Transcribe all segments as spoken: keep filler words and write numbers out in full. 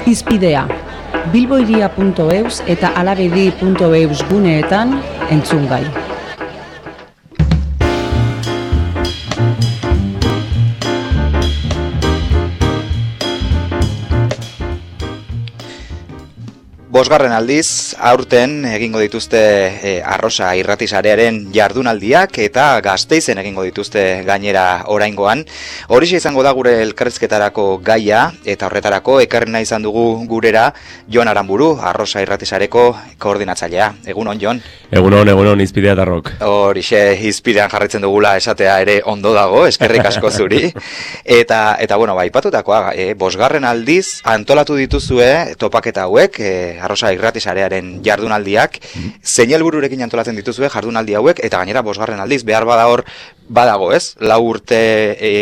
Hizpidea, bilboiria puntu eus eta alabedi puntu eus guneetan entzun gai. Bosgarren aldiz, aurten egingo dituzte e, Arrosa irratisarearen jardunaldiak eta Gasteizen egingo dituzte gainera oraingoan. Horixe izango da gure elkarrizketarako gaia eta horretarako ekarri nahi izan dugu gurera Jon Aranburu, Arrosa irratisareko koordinatzailea. Egunon, Jon? Egunon, egunon, Hizpidea Darrok. Horixe, hizpidean jarraitzen dugula esatea ere ondo dago, eskerrik asko zuri. Eta, eta bueno, ba, ipatutakoa, e, bosgarren aldiz antolatu dituzue topaketa hauek, e, Arrosa irratisarearen jardunaldiak, mm. zein helbururekin antolatzen dituzue jardunaldi hauek, eta gainera bosgarren aldiz, behar bada hor, badago ez, lau urte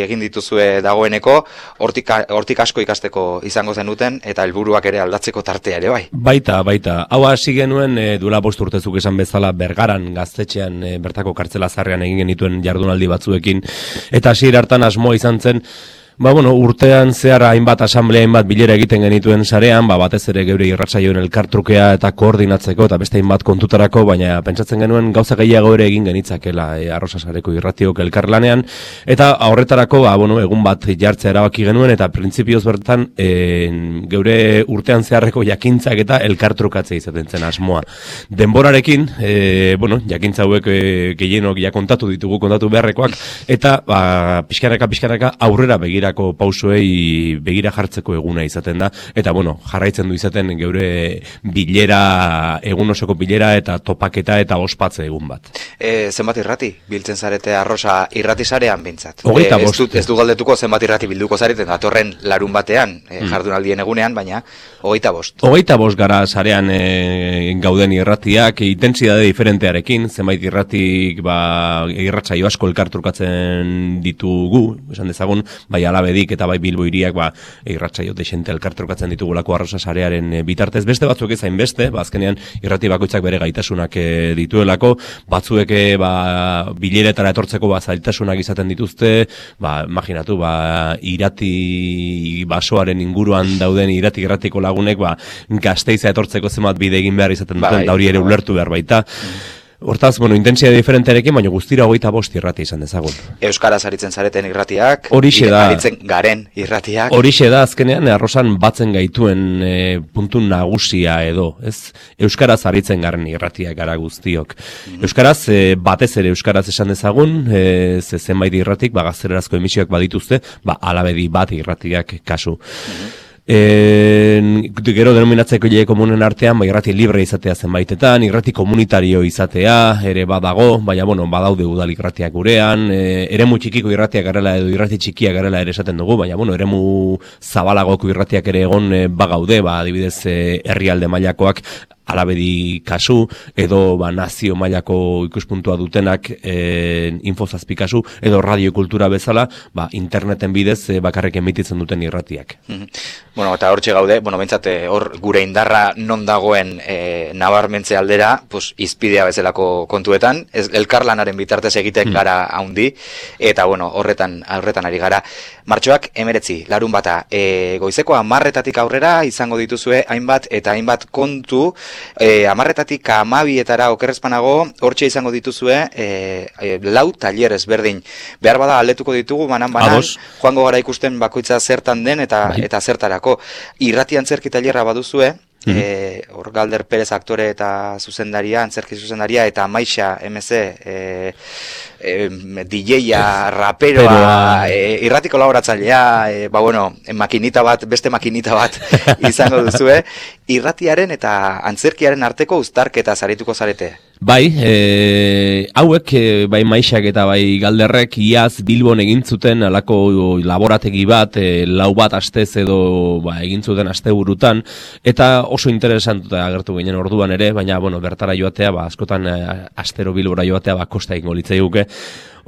egin dituzue dagoeneko, hortik, hortik asko ikasteko izango zenuten, eta helburuak ere aldatzeko tartea ere bai. Baita, baita. Hau hasi genuen, e, duela bost urtezuk esan bezala, Bergaran gaztetxean, e, bertako kartzela zarrean egin genituen jardunaldi batzuekin, eta hasiera hartan asmoa izan zen, ba, bueno, urtean zehar hainbat asamblea, hainbat bilera egiten genituen sarean, ba, batez ere geure irratsaioen elkartrukea eta koordinatzeko eta beste hainbat kontutarako, baina pentsatzen genuen gauza gehiago ere egin genitzakela e, Arrosa sareko irratiok elkarlanean, eta horretarako, ba, bueno, egun bat jartzea erabaki genuen, eta printzipioz bertan e, geure urtean zeharreko jakintzak eta elkartrukatzea izaten zen asmoa. Denborarekin, e, bueno, jakintza hauek e, gehienok ja kontatu ditugu, kontatu beharrekoak, eta ba, pixkanaka, pixkanaka aurrera begira pausoei begira jartzeko eguna izaten da, eta bueno, jarraitzen du izaten geure bilera, egun osoko bilera eta topaketa eta ospatze egun bat. E, zenbat irrati biltzen zarete Arrosa irratisarean bintzat? Hogeita e, bost. Ez du, ez du galdetuko zenbat irrati bilduko zareten, datorren larun batean, e, jardunaldien egunean, baina hogeita bost. Hogeita bost gara sarean e, gauden irratiak, intentsitate diferentearekin, zenbait irratik ba, irratsaio asko elkartrukatzen ditugu, esan dezagun, bai Alabedik eta bai Bilbo hiriak ba irratsaio dexente elkartrukatzen ditugulako Arrosa sarearen bitartez, beste batzuk ez hainbeste, ba azkenean irrati bakoitzak bere gaitasunak e, dituelako, batzuek ba bileretara etortzeko ba zailtasunak izaten dituzte, ba imaginatu ba irati basoaren inguruan dauden irati irratiko lagunek ba Gasteiza etortzeko zenbat bide egin behar izaten duten, da hori ere ulertu behar baita. Hortaz, bueno, intentsitate diferentearekin, baina guztira hogeita bost irrati izan dezagun. Euskaraz aritzen zareten irratiak, horixe da, aritzen garen irratiak. Horixe da, azkenean, Arrosan batzen gaituen e, puntu nagusia edo, ez? Euskaraz aritzen garen irratiak gara guztiok. Mm-hmm. Euskaraz, e, batez ere Euskaraz esan dezagun, e, ze zenbait irratik, ba, gaztelerazko emisioak badituzte, ba, Alabedi bat irratiak kasu. Mm-hmm. E, gero denominatzeko jai komunen artean, ba, irrati libre izatea zenbaitetan, irrati komunitario izatea, ere badago, baina bueno, badaude udal irratiak gurean, e, eremu txikiko irratiak garela edo irrati txikiak garela ere esaten dugu, baina bueno, eremu zabalagoko irratiak ere egon e, bagaude, ba, adibidez e, herrialde mailakoak, Alabedi kasu, edo ba, nazio mailako ikuspuntua dutenak e, infozazpi kasu, edo radiokultura bezala, ba, interneten bidez e, bakarrik emititzen duten irratiak. Mm-hmm. Bueno, eta hortxe gaude, bueno, bentsate hor gure indarra non dagoen e, nabarmentze aldera, pues, izpidea bezalako kontuetan, ez, elkarlanaren bitartez egiten mm. gara haundi, eta bueno, horretan, horretan ari gara. Martxoak emeretzi, larun bata, e, goizeko amarretatik aurrera izango dituzue hainbat eta hainbat kontu, E, amarretatik amabietara okerrezpanago, hortxe izango dituzue e, e, lau taller ezberdin. Behar bada aldetuko ditugu, banan-banan, joango gara ikusten bakoitza zertan den eta, eta zertarako. Irrati antzerki tailerra baduzue, hor mm-hmm. e, Galder Perez aktore eta zuzendaria, antzerki zuzendaria, eta Maixa M C e, e, D J-a, raperoa, e, irrati kolaboratzailea, e, ba bueno, makinita bat, beste makinita bat izango duzue, irratiaren eta antzerkiaren arteko uztarketa zarituko zarete. Bai, e, hauek, e, bai Maixak eta bai Galderrek iaz Bilbon egin zuten alako laborategi bat, e, lau bat astez edo ba, egin zuten asteburutan, eta oso interesantuta agertu ginen orduan ere, baina bueno, bertara joatea, ba, askotan e, astero Bilbora joatea ba, kosta egingo litzaiguke.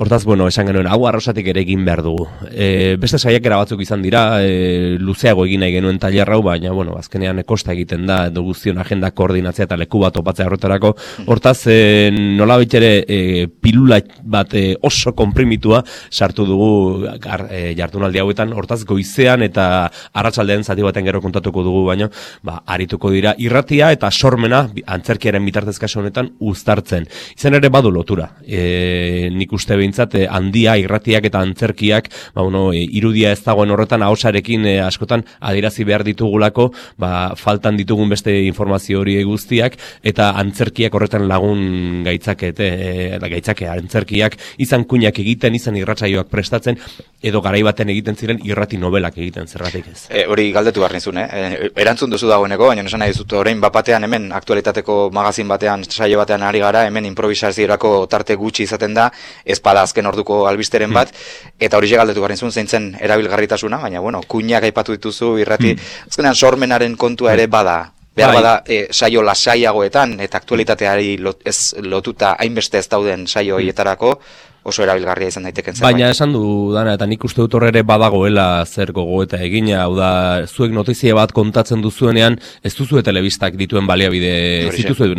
Hortaz, bueno, esan genuen, hau arrosatik ere egin behar dugu. E, beste saiakera batzuk izan dira, e, luzeago egin nahi genuen tailer hau, baina, bueno, azkenean kosta egiten da, edo guztion agenda koordinatzea eta leku bat topatzea horretarako. Hortaz, e, nola ere e, pilula bat e, oso konprimitua sartu dugu gar, e, jardunaldi hauetan, hortaz goizean eta arratsaldean zati baten gero kontatuko dugu, baina, ba, arituko dira irratia eta sormena antzerkiaren bitartez kasu honetan uztartzen. Izan ere badu lotura. E, nik uste behintzat, e, handia, irratiak eta antzerkiak, ba, bueno, e, irudia ez dagoen horretan ahosarekin e, askotan adierazi behar ditugulako, ba, faltan ditugun beste informazio hori guztiak, eta antzerkiak horretan lagun gaitzakete, e, gaitzake, antzerkiak izan kuinak egiten, izan irratsaioak prestatzen, edo garai baten egiten ziren irrati nobelak egiten, zergatik ez. E, hori galdetu behar nizun, eh? erantzun duzu dagoeneko, baina esan nahi dizut, orain bapatean hemen aktualitateko magazin batean, saio batean ari gara, hemen improvisaziorako tarte gutxi izaten da, ez bada azken orduko albisteren bat, eta hori galdetu behar nizun zeintzen erabilgarritasuna, baina bueno, kuinak aipatu dituzu irrati, azkenean sormenaren kontua ere bada. Behar bada, e, saio lasaiagoetan, eta aktualitateari lot, ez lotuta hainbeste ez dauden saio horietarako, oso erabilgarria izan daiteken zerbait. Baina esan du, Dana, eta nik uste dut horre ere badagoela zer gogoeta egina, hau da, zuek notizia bat kontatzen duzuenean, ez duzue telebistak dituen baliabide, ez dituzue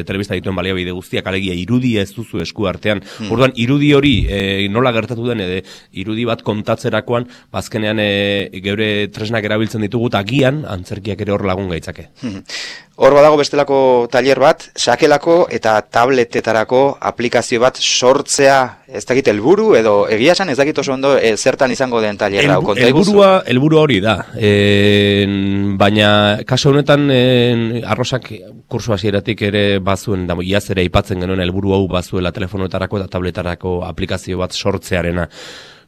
telebistak dituen baliabide guztiak, alegia irudia ez duzu esku artean. Hmm. Orduan, irudi hori e, nola gertatu den, edo irudi bat kontatzerakoan, bazkenean e, geure tresnak erabiltzen ditugu, eta agian antzerkiak ere hor lagun gaitzake. Hmm. Hor badago bestelako tailer bat, sakelako eta tabletetarako aplikazio bat sortzea, ez dakit helburu edo egia esan ez dakit oso ondo e, zertan izango den tailerra. El, helburua, helburua hori da, e, baina kasu honetan e, arrosak kursu hasieratik ere bazuen, da, iaz ere aipatzen genuen helburu hau bazuela telefonoetarako eta tabletarako aplikazio bat sortzearena.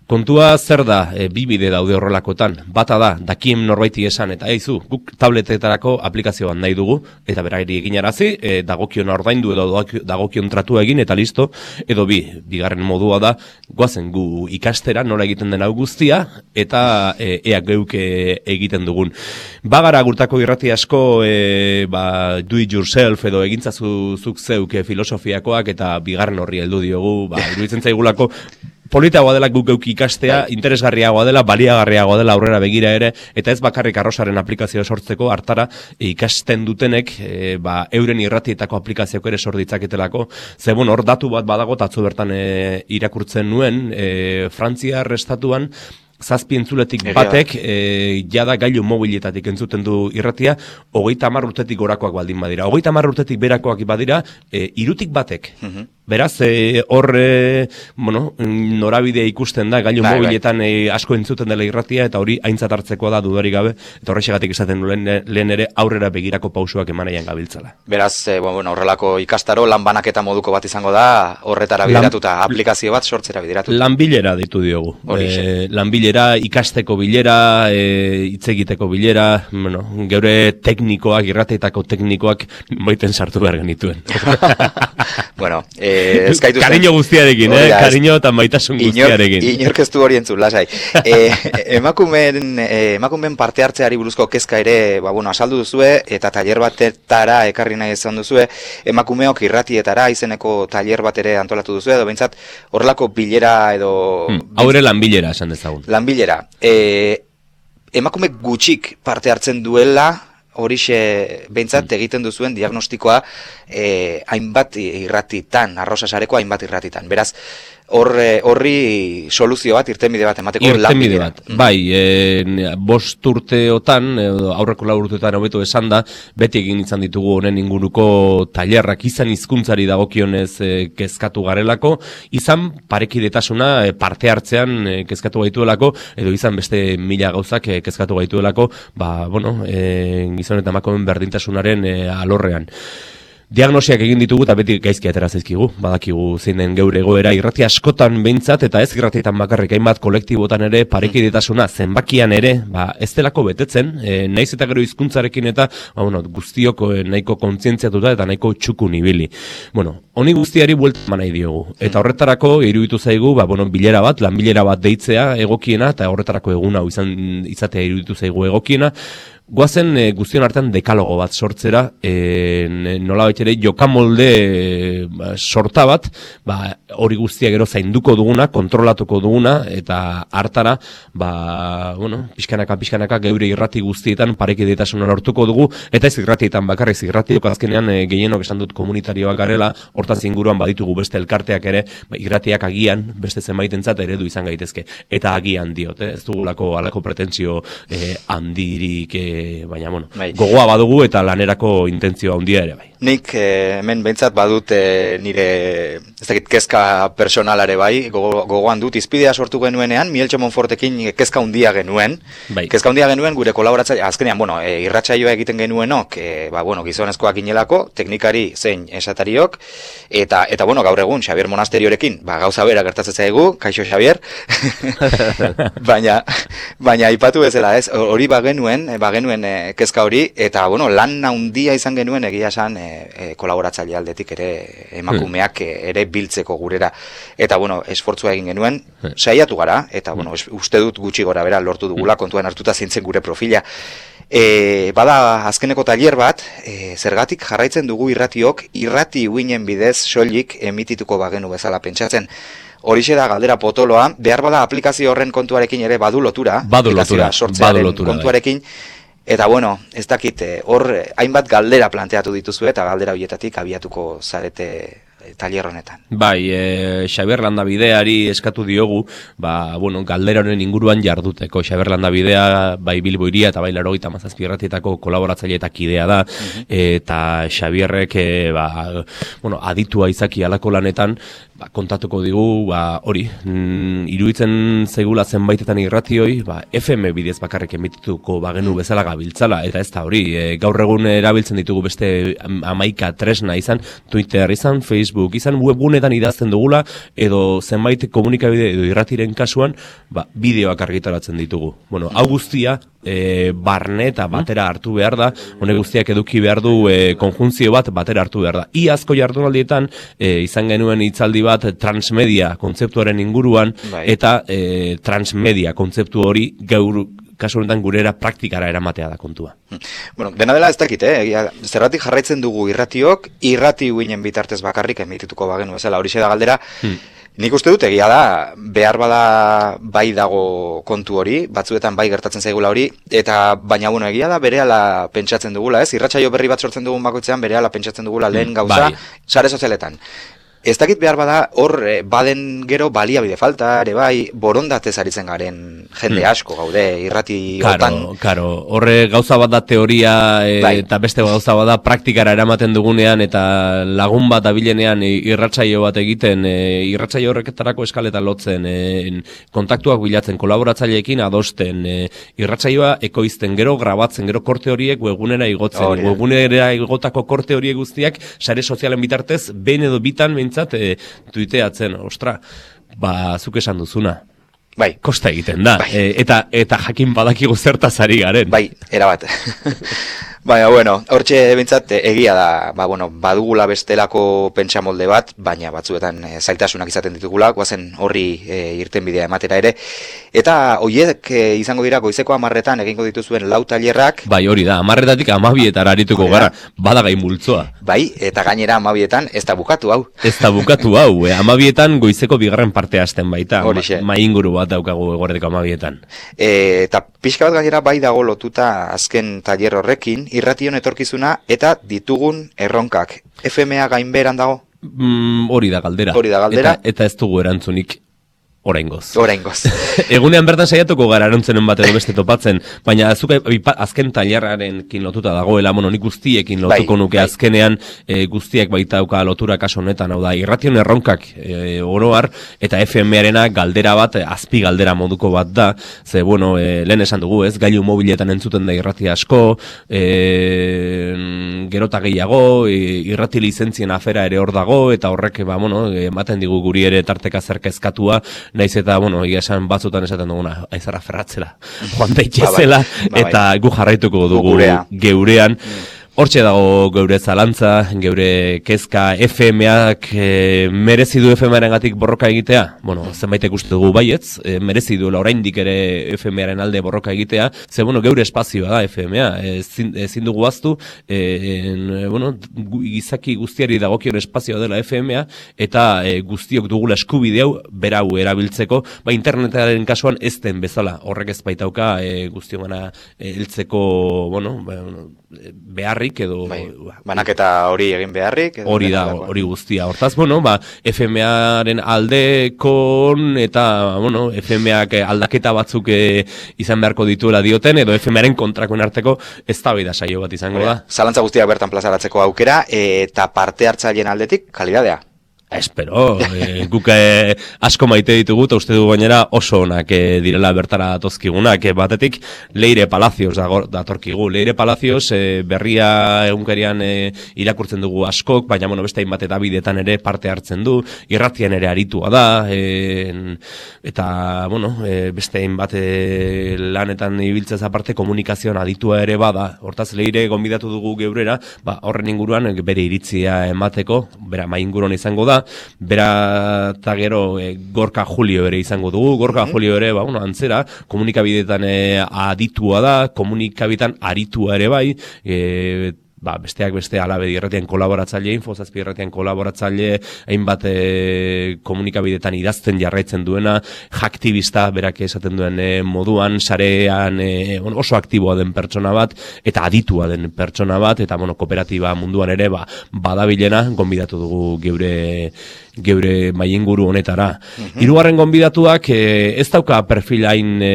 Kontua zer da, e, bi bide daude horrelakotan, bata da, dakien norbaiti esan, eta eizu, guk tabletetarako aplikazioan nahi dugu, eta berari eginarazi, e, dagokion ordaindu edo dagokion tratua egin, eta listo, edo bi, bigarren modua da, goazen gu ikastera, nola egiten den hau guztia, eta e, ea geuke egiten dugun. Bagara gurtako irrati asko, e, ba, do it yourself, edo egintzazu zuk zeuk filosofiakoak, eta bigarren horri heldu diogu, ba, iruditzen zaigulako, politagoa dela guk geuk ikastea, interesgarriagoa dela, baliagarriagoa dela aurrera begira ere, eta ez bakarrik arrosaren aplikazioa sortzeko hartara ikasten dutenek, e, ba, euren irratietako aplikazioak ere sor ditzaketelako. Ze, bueno, hor datu bat badago, atzo bertan e, irakurtzen nuen, e, Frantziar estatuan, zazpi entzuletik batek, e, jada gailu mobiletatik entzuten du irratia, hogeita hamar urtetik gorakoak baldin badira. Hogeita hamar urtetik berakoak badira, e, irutik batek. Uh-huh. Beraz, hor, e, bueno, norabidea ikusten da, gailu bai, mobiletan bai. E, asko entzuten dela irratia, eta hori aintzat hartzekoa da dudarik gabe, eta horrexegatik esaten lehen, lehen ere aurrera begirako pausuak emanaian gabiltzala. Beraz, e, bueno, horrelako ikastaro, lan banaketa moduko bat izango da, horretara bideratuta, lan, aplikazio bat sortzera bideratuta. Lanbilera ditu diogu. E, lanbilera, ikasteko bilera, hitz e, egiteko bilera, bueno, geure teknikoak, irratietako teknikoak, moiten sartu behar genituen. Bueno, eh, eskaitu zen. Kariño guztiarekin, eh? Kariño eta maitasun guztiarekin. Inork ez du hori entzun, lasai. Eh, emakumen, eh, emakumen parte hartzeari buruzko kezka ere, ba, bueno, asaldu duzue, eta tailer batetara ekarri nahi izan duzue, emakumeok irratietara izeneko tailer bat ere antolatu duzue, edo behintzat horrelako bilera edo... Hmm, hau ere lanbilera esan dezagun. Lanbilera. Eh, emakume gutxik parte hartzen duela, horixe behintzat egiten duzuen diagnostikoa eh, hainbat irratitan, arrosa sareko hainbat irratitan. Beraz, horri hor, soluzio bat, irtenbide bat emateko lanbide bat. Mm. Bai, e, bost urteotan, e, aurreko lau urteotan hobeto esan da, beti egin izan ditugu honen inguruko tailerrak izan hizkuntzari dagokionez e, kezkatu garelako, izan parekidetasuna e, parte hartzean e, kezkatu gaituelako, edo izan beste mila gauzak e, kezkatu gaituelako, ba, bueno, e, gizon eta emakumeen berdintasunaren e, alorrean. Diagnosiak egin ditugu eta beti gaizki atera zaizkigu, badakigu zein den geure egoera irrati askotan behintzat eta ez irratietan bakarrik hainbat kolektibotan ere parekidetasuna zenbakian ere, ba, ez delako betetzen, e, naiz eta gero hizkuntzarekin eta ba, bueno, guztiok e, nahiko kontzientziatuta eta nahiko txukun ibili. Bueno, honi guztiari buelta eman nahi diogu. Eta horretarako iruditu zaigu, ba, bueno, bilera bat, lan bilera bat deitzea egokiena eta horretarako egun hau izan izatea iruditu zaigu egokiena. Goazen e, guztion artean dekalogo bat sortzera, e, nola ere jokamolde e, sorta bat, ba, hori guztia gero zainduko duguna, kontrolatuko duguna, eta hartara, ba, bueno, pixkanaka, pixkanaka, geure irrati guztietan parekidetasuna lortuko dugu, eta ez irratietan bakarrik, irratiok azkenean e, gehienok esan dut komunitarioak garela, hortaz inguruan baditugu beste elkarteak ere, ba, irratiak agian, beste zenbaitentzat eredu izan gaitezke, eta agian diot, eh? Ez dugulako alako pretensio eh, handirik, eh, baina, bueno, bai. Gogoa badugu eta lanerako intentzioa handia ere, bai. Nik eh, hemen behintzat badut eh, nire, ez dakit, kezka personalare bai, gogo, gogoan dut, izpidea sortu genuenean, Mieltxo Monfortekin kezka handia genuen, bai. Kezka handia genuen gure kolaboratzaile, azkenean, bueno, e, irratsaioa egiten genuenok, e, ba, bueno, gizonezkoak inelako, teknikari zein esatariok, eta, eta bueno, gaur egun, Xabier Monasteriorekin, ba, gauza bera gertatzen zaigu, kaixo Xabier, baina, baina aipatu bezala, ez, hori bagenuen, bagenuen e, kezka hori, eta, bueno, lan handia izan genuen egia esan, e, e, kolaboratzaile aldetik ere emakumeak ere biltzeko gurera, eta, bueno, esfortzua egin genuen, saiatu gara, eta, bueno, uste dut gutxi gora bera lortu dugula, kontuan hartuta zintzen gure profila. E, bada azkeneko tailer bat, e, zergatik jarraitzen dugu irratiok, irrati uinen bidez soilik emitituko bagenu bezala pentsatzen. Horixe da galdera potoloa, behar bada aplikazio horren kontuarekin ere badu lotura, badu lotura, sortzearen badu lotura, kontuarekin, eta bueno, ez dakit, hor hainbat galdera planteatu dituzu eta galdera horietatik abiatuko zarete tailer honetan. Bai, e, Xabier Landabideari eskatu diogu, ba, bueno, galdera honen inguruan jarduteko. Xabier Landabidea, bai Bilbo Hiria eta bai laurogeita hamazazpi irratietako kolaboratzaile eta kidea da, uh-huh. Eta Xabierrek, e, ba, bueno, aditua izaki alako lanetan, ba, kontatuko digu, ba, hori, mm, iruditzen zegula zenbaitetan irratioi, ba, F M bidez bakarrik emitituko bagenu bezala gabiltzala, eta ez da hori, e, gaur egun erabiltzen ditugu beste hamaika tresna izan, Twitter izan, Facebook izan, webgunetan idazten dugula, edo zenbait komunikabide edo irratiren kasuan, ba, bideoak argitaratzen ditugu. Bueno, hau guztia, e, barne eta batera hartu behar da, honek guztiak eduki behar du e, konjunzio bat batera hartu behar da. Iazko jardunaldietan e, izan genuen hitzaldi bat transmedia kontzeptuaren inguruan, bai. Eta e, transmedia kontzeptu hori gaur kasu honetan gurera praktikara eramatea da kontua. Bueno, dena dela ez dakit, eh? Zerratik jarraitzen dugu irratiok, irrati uinen bitartez bakarrik emitituko bagenu bezala, horixe da galdera. Hmm. Nik uste dut egia da, behar bada bai dago kontu hori, batzuetan bai gertatzen zaigula hori, eta baina bueno, egia da berehala pentsatzen dugula, ez? Irratsaio berri bat sortzen dugun bakoitzean berehala pentsatzen dugula lehen gauza, bai. Sare sozialetan. Ez dakit behar bada hor baden gero baliabide falta, ere bai, borondatez aritzen garen jende asko gaude irrati hotan. Karo, karo, horre gauza bat da teoria e, bai. Eta beste gauza bat da praktikara eramaten dugunean eta lagun bat abilenean irratsaio bat egiten, e, irratsaio horreketarako eskaleta lotzen, e, kontaktuak bilatzen, kolaboratzaileekin adosten, e, irratsaioa ekoizten, gero grabatzen, gero korte horiek webgunera igotzen, oh, webgunera igotako korte horiek guztiak sare sozialen bitartez, behin edo bitan E, tuiteatzen, ostra, ba, zuk esan duzuna. Bai. Kosta egiten da. Bai. E, eta, eta jakin badakigu zertaz ari garen. Bai, erabat. Baina, bueno, hortxe bintzat egia da, ba, bueno, badugula bestelako pentsamolde bat, baina batzuetan e, zailtasunak izaten ditugula, guazen horri e, irten bidea ematera ere. Eta horiek e, izango dira goizeko amarretan egingo dituzuen lau tailerrak. Bai, hori da, amarretatik amabietara arituko gara, badagai multzoa. Bai, eta gainera amabietan ez da bukatu hau. Ez da bukatu hau, e, amabietan goizeko bigarren partea hasten baita, ma, mainguru bat daukagu eguerdeko amabietan. E, eta pixka bat gainera bai dago lotuta azken tailer horrekin, irration etorkizuna eta ditugun erronkak. F M A gainberan dago? Mm, hori da galdera. Hori da galdera. Eta, eta ez dugu erantzunik oraingoz. Oraingoz. Egunean bertan saiatuko gara erantzenen bat edo beste topatzen, baina azuk azken tailerrarekin lotuta dagoela, bueno, nik guztiekin lotuko bai, nuke bai. Azkenean e, guztiek baitauka lotura kaso honetan, hau da, irration erronkak e, oroar, eta F M arena galdera bat, azpi galdera moduko bat da, ze, bueno, e, lehen esan dugu, ez, gailu mobiletan entzuten da irrati asko, e, gerota gehiago, e, irrati lizentzien afera ere hor dago, eta horrek, ba, bueno, ematen digu guri ere tarteka zerka eskatua, naiz eta, bueno, egia esan batzutan esaten duguna, aizara ferratzela, joan daitezela, ba, bai, ba, bai. Eta gu jarraituko dugu geurean. Hortxe dago geure zalantza, geure kezka F M ak e, merezi du F M aren gatik borroka egitea? Bueno, zenbaitek uste dugu baietz, e, merezi duela oraindik ere F M aren alde borroka egitea, ze bueno, geure espazioa da F M a, ezin, ezin dugu aztu, e, en, bueno, gizaki guztiari dagokion espazioa dela F M a, eta e, guztiok dugula eskubide hau berau erabiltzeko, ba internetaren kasuan ez den bezala, horrek ez baitauka e, guztiongana e, heltzeko, bueno, beharrik edo bai, banaketa hori egin beharrik edo hori da, hori guztia. Hortaz, bueno, ba, F M aren aldekon eta, bueno, F M ak aldaketa batzuk e, izan beharko dituela dioten, edo F M aren kontrakoen arteko eztabaida saio bat izango da. Zalantza guztiak bertan plazaratzeko aukera, eta parte hartzaileen aldetik kalidadea. Espero, e, guk e, asko maite ditugu, eta uste dugu gainera oso onak e, direla bertara datozkigunak. E, batetik, Leire Palacios datorkigu. Leire Palacios e, berria egunkarian e, irakurtzen dugu askok, baina bueno, beste hainbat eta bidetan ere parte hartzen du, irratian ere aritua da, e, eta bueno, e, beste hainbat e, lanetan ibiltzez aparte komunikazioan aditua ere bada. Hortaz, Leire gonbidatu dugu geurera, ba, horren inguruan bere iritzia emateko, bera mainguruan izango da, bera eta gero e, Gorka Julio ere izango dugu. Gorka mm-hmm. Julio ere, ba, bueno, antzera, komunikabidetan e, aditua da, komunikabidetan aritua ere bai, e, ba, besteak beste Alabedi irratian kolaboratzaile, Infozazpi irratian kolaboratzaile, hainbat e, komunikabidetan idazten jarraitzen duena, jaktibista berak esaten duen e, moduan, sarean e, oso aktiboa den pertsona bat, eta aditua den pertsona bat, eta bueno, kooperatiba munduan ere ba, badabilena, gonbidatu dugu geure geure maienguru honetara. Mm-hmm. Hirugarren gonbidatuak e, ez dauka perfilain e,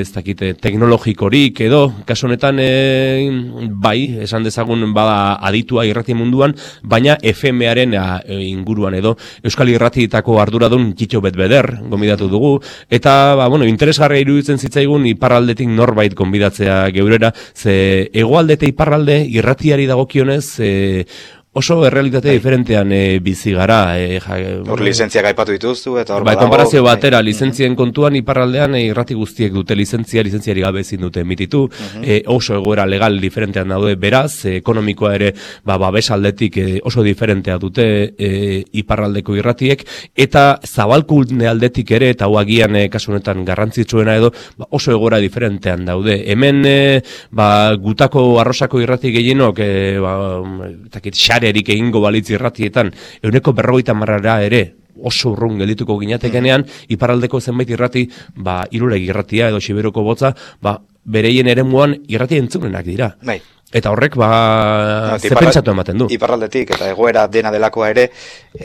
ez dakite teknologikorik edo, kasu honetan e, bai, esan dezagun bada aditua irrati munduan, baina F M aren e, inguruan edo Euskal Irratietako arduradun Kitxo Betbeder gonbidatu dugu, eta ba, bueno, interesgarria iruditzen zitzaigun iparraldetik norbait gonbidatzea geurera, ze hegoalde eta iparralde irratiari dagokionez e, oso errealitate diferentean e, bizi gara. E, ja, hor lizentziak aipatu dituztu, eta hor bai, konparazio batera, lizentzien kontuan iparraldean e, irrati guztiek dute lizentzia, lizentziari gabe ezin dute emititu, uh-huh. e, oso egoera legal diferentean daude beraz, e, ekonomikoa ere ba, babes aldetik e, oso diferentea dute e, iparraldeko irratiek, eta zabalkunde aldetik ere, eta hau agian e, kasu honetan garrantzitsuena edo, ba, oso egoera diferentean daude. Hemen e, ba, gutako arrosako irrati gehienok, e, ba, etakit, erik egingo balitz irratietan, euneko berrogeita marrara ere oso urrun geldituko ginatekenean, iparraldeko zenbait irrati, ba, Iruregi irratia edo Xiberoko botza, ba, bereien eremuan irrati entzunenak dira. Bai. Eta horrek, ba, no, ze pentsatu ematen du. Iparraldetik, eta egoera dena delakoa ere,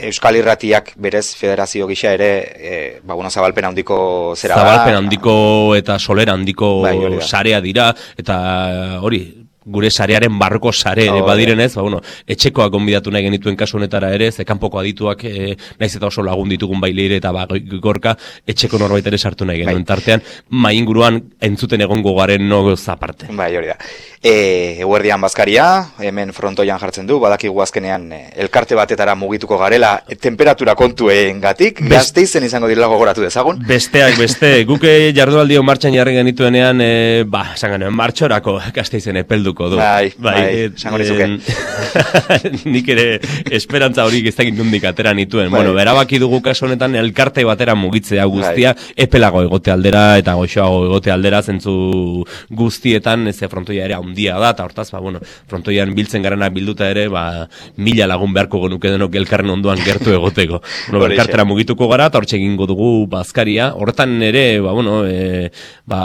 Euskal Irratiak berez federazio gisa ere, e, ba, bueno, zabalpen handiko zera. Zabalpen handiko eta solera handiko bai, sarea dira, eta hori, gure sarearen barroko sare ere oh, badirenez, ba, bueno, etxekoak gonbidatu nahi genituen kasu honetara ere, ze kanpoko adituak e, naiz eta oso lagun ditugun bai Leire eta ba, Gorka, etxeko norbait ere sartu nahi genuen tartean, mainguruan entzuten egongo garen nogoz aparte. Bai, hori da. E, Eguerdian bazkaria, hemen frontoian jartzen du, badakigu azkenean e, elkarte batetara mugituko garela, e, temperatura kontuen gatik, Gasteizen izango direla gogoratu dezagun. Besteak beste, guke jardunaldio martxan jarri genituenean, e, ba, esan genuen, martxorako Gasteizen epeldu du. Bai, bai, esango nizuke. Nik ere esperantza hori ez dakit nondik atera nituen. Bai. Bueno, berabaki dugu kasu honetan elkarte batera mugitzea guztia, bai. Epelago egote aldera eta goxoago egote aldera zentzu guztietan, ez frontoia ere handia da, eta hortaz, ba, bueno, frontoian biltzen garana bilduta ere, ba, mila lagun beharko genuke denok elkarren ondoan gertu egoteko. Bueno, elkartera mugituko gara, eta hortxe egingo dugu bazkaria. Horretan ere, ba, bueno, e, ba,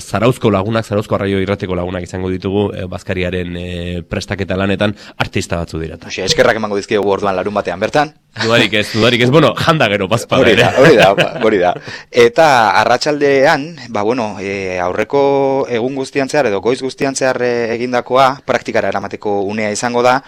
Zarauzko lagunak, Zarauzko arraio irrateko lagunak izango ditugu E, bazkariaren e, prestaketa lanetan artista batzu dira. Oxe, eskerrak emango dizkiegu orduan larun batean bertan. Dudarik ez, dudarik ez, bueno, janda gero bazpada hori ere. Da, hori da, hori da. Eta arratsaldean, ba bueno, e, aurreko egun guztian zehar edo goiz guztian zehar e, egindakoa praktikara eramateko unea izango da.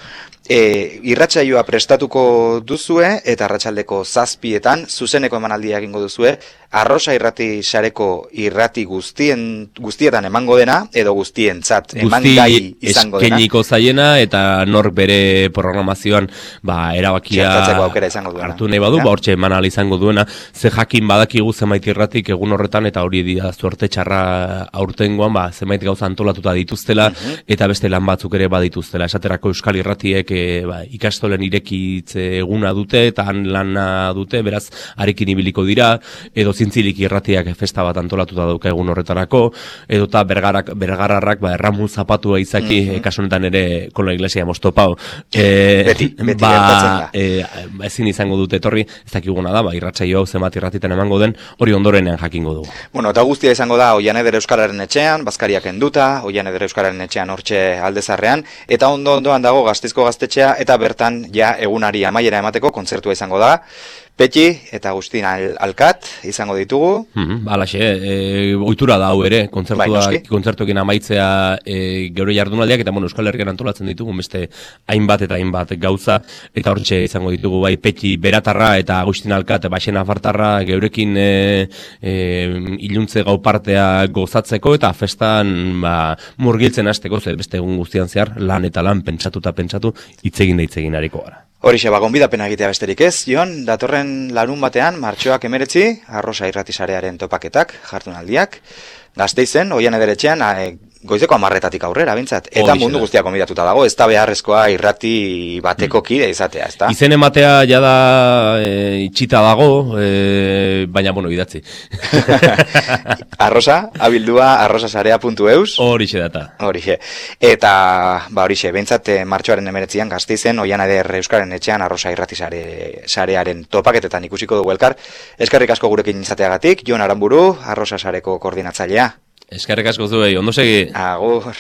E, irratsaioa prestatuko duzue eta arratsaldeko zazpietan zuzeneko emanaldia egingo duzue. Arrosa irrati sareko irrati guztien guztietan emango dena edo guztientzat emangai izango dena. Eskeniko zaiena eta nor bere programazioan ba erabakia aukera izango duena. Hartu nahi badu, ba, hortxe eman ahal izango duena, ze jakin badakigu zenbait irratik egun horretan, eta hori dira zuerte txarra aurtengoan, ba, zenbait gauza antolatuta dituztela, uh-huh. eta beste lan batzuk ere badituztela. Esaterako Euskal Irratiek e, ba, ikastolen irekitze eguna dute, eta han lana dute, beraz, arekin ibiliko dira, edo zintzilik irratiak festa bat antolatuta dauka egun horretarako, edo eta bergarak, bergararrak, ba, erramun zapatua izaki, uh-huh. e, kasunetan ere kola iglesia mostopau. E, beti, beti ba, e, ezin izango dute etorri, ez dakiguna da, ba, irratsaio hau zenbat irratitan emango den, hori ondorenean jakingo dugu. Bueno, eta guztia izango da Oian Eder Euskararen etxean, Bazkariak enduta, Oian Eder Euskararen etxean hortxe aldezarrean, eta ondo ondoan dago Gasteizko gaztetxea, eta bertan ja egunari amaiera emateko kontzertua izango da. Petxi eta Agustin Al Alkat izango ditugu. Mm, Balaxe, e, ohitura da hau ere, kontzertua, bai, kontzertuekin amaitzea e, geure jardunaldiak, eta bueno, Euskal Herrian antolatzen ditugu, beste hainbat eta hainbat gauza, eta hortxe izango ditugu bai Petxi Beratarra eta Agustin Alkat, Baxena Fartarra geurekin e, e, iluntze gau partea gozatzeko, eta festan ba, murgiltzen hasteko, ze beste egun guztian zehar, lan eta lan pentsatu eta pentsatu, hitzegin da hitzegin hariko gara. Horixe, ba, gonbidapena egitea besterik ez, Jon, datorren larun batean, martxoak emeretzi, Arrosa irratisarearen topaketak, jardunaldiak, Gasteizen, Oian Eder etxean, goizeko amarretatik aurrera, bintzat, eta Horixe mundu guztia konbidatuta dago, ez da beharrezkoa irrati bateko kide izatea, ez da? Izen ematea jada e, itxita dago, e, baina, bueno, idatzi. Arrosa, abildua arrosasarea puntu eus. Horixe data. Horixe. Eta, ba, horixe, bintzat, martxoaren emeretzian, Gasteizen, Oian Eder Euskaren etxean, Arrosa irratisare sarearen topaketetan ikusiko dugu elkar. Eskerrik asko gurekin izateagatik, Jon Aramburu, Arrosa sareko koordinatzailea. Eskerrik asko zuei, ondo segi. Agur.